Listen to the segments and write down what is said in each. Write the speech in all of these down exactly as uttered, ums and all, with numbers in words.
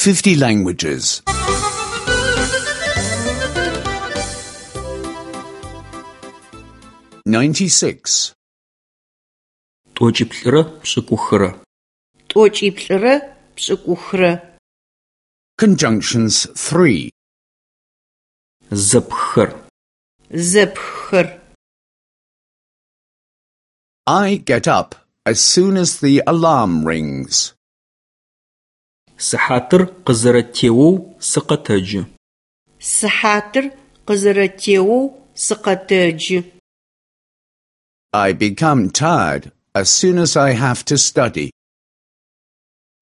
Fifty languages. Ninety-six. Тӏокӏиплӏырэ пшӏыкӏухырэ. Тӏокӏиплӏырэ пшӏыкӏухырэ. Conjunctions three. Зэпххэр. Зэпххэр. I get up as soon as the alarm rings. Сыхьатыр къызэрэтеоу сыкъэтэджы. Сыхьатыр къызэрэтеоу сыкъэтэджы. I become tired as soon as I have to study.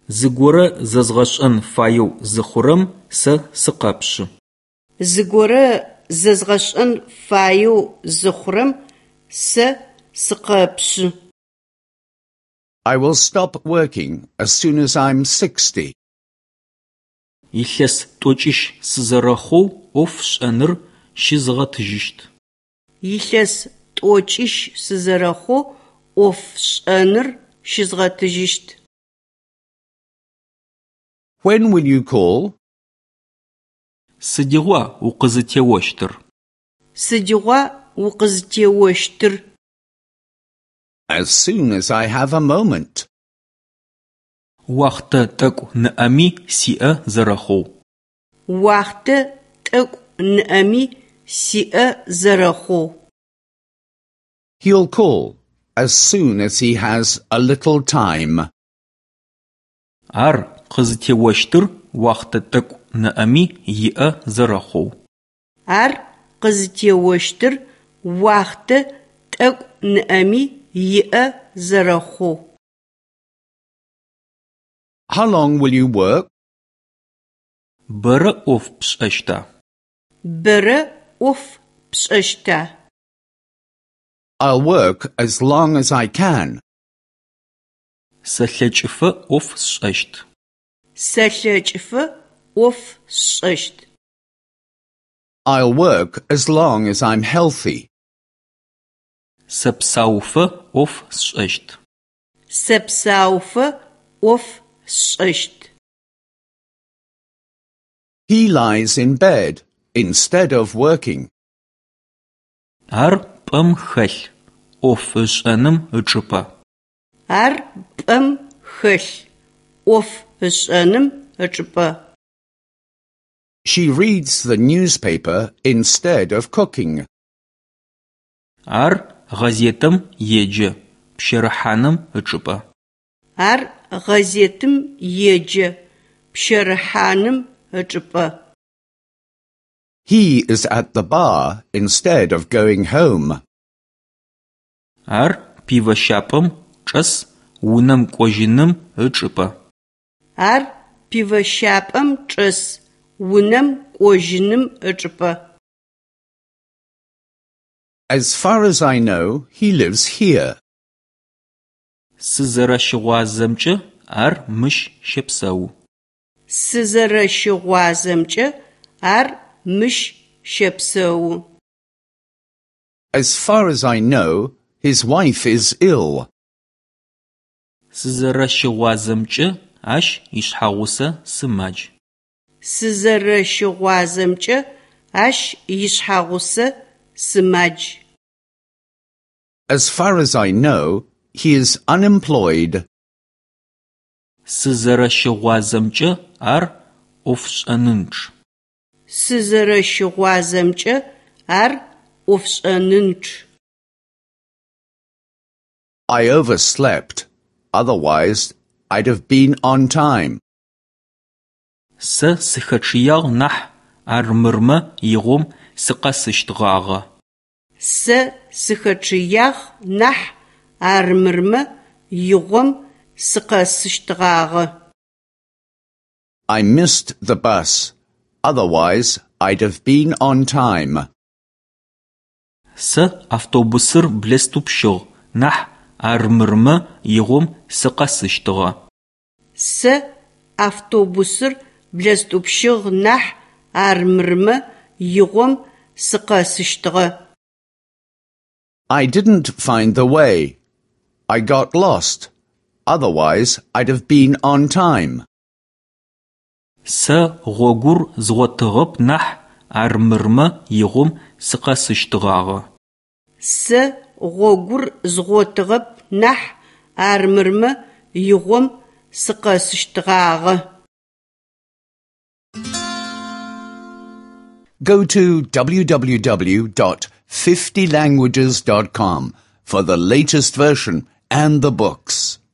Зыгорэ зэзгъэшӏэн фаеу зыхъурэм сэ сыкъэпшъы. Зыгорэ зэзгъэшӏэн фаеу зыхъурэм сэ сыкъэпшъы. I will stop working as soon as I'm sixty. Илъэс тӏокӏищ сызэрэхъоу ӏоф сшӏэныр щызгъэтыжьыщт. Илъэс тӏокӏищ сызэрэхъоу ӏоф сшӏэныр щызгъэтыжьыщт. When will you call? Сыдигъуа укъызытеощтыр? Сыдигъуа укъызытеощтыр? As soon as I have a moment. Уахътэ тӏэкӏу ныӏэми сиӏэ зэрэхъоу. Уахътэ тӏэкӏу ныӏэми сиӏэ зэрэхъоу. He'll call as soon as he has a little time. Ар къызытеощтыр уахътэ тӏэкӏу ныӏэми иӏэ зэрэхъоу. Ар къызытеощтыр уахътэ тӏэкӏу ныӏэми иӏэ зэрэхъоу. How long will you work? Бэрэ ӏоф пшӏэщта? Бэрэ ӏоф пшӏэщта? I'll work as long as I can. Сэлъэкӏыфэ ӏоф сшӏэщт. Сэлъэкӏыфэ ӏоф сшӏэщт. I'll work as long as I'm healthy. Сэпсауфэ ӏоф сшӏэщт. Сэпсауфэ ӏоф сшӏэщт. He lies in bed instead of working. Ар пӏэм хэлъ, ӏоф ышӏэным ычӏыпӏэ. Ар пӏэм хэлъ, ӏоф ышӏэным ычӏыпӏэ. She reads the newspaper instead of cooking. Ар гъэзетым еджэ, пщэрыхьаным ычӏыпӏэ. Ар гъэзетым еджэ, пщэрыхьаным ычӏыпӏэ. He is at the bar instead of going home. Ар пивэщапӏэм чӏэс, унэм кӏожьыным ычӏыпӏэ. Ар пивэщапӏэм чӏэс, унэм кӏожьыным ычӏыпӏэ. As far as I know, he lives here. Сызэрэщыгъуазэмкӏэ, ар мыщ щэпсэу. Сызэрэщыгъуазэмкӏэ, ар мыщ щэпсэу. As far as I know, his wife is ill. Сызэрэщыгъуазэмкӏэ, ащ ишъхьэгъусэ сымадж. Сызэрэщыгъуазэмкӏэ, ащ ишъхьэгъусэ сымадж. As far as I know, he is unemployed. Сызэрэщыгъуазэмкӏэ, ар ӏофшӏэнынчъ. Сызэрэщыгъуазэмкӏэ, ар ӏофшӏэнынчъ. I overslept. Otherwise, I'd have been on time. Сэ сыхэчъыягъ нахь, армырмэ игъом сыкъэсыщтгъагъэ. Сэ сыхэчъыягъ нахь, армырмэ игъом сыкъэсыщтгъагъэ. I missed the bus. Otherwise, I'd have been on time. Сэ автобусыр блэстӏупщыгъ нахь, армырмэ игъом сыкъэсыщтыгъэ. Сэ автобусыр блэстӏупщыгъ нахь, армырмэ игъом сыкъэсыщтыгъэ. I didn't find the way. I got lost. Otherwise, I'd have been on time. Сэ гъогур згъотыгъэп нахь, армырмэ игъом сыкъэсыщтгъагъэ. Сэ гъогур згъотыгъэп нахь, армырмэ игъом сыкъэсыщтгъагъэ. Go to w w w dot fifty languages dot com for the latest version and the books.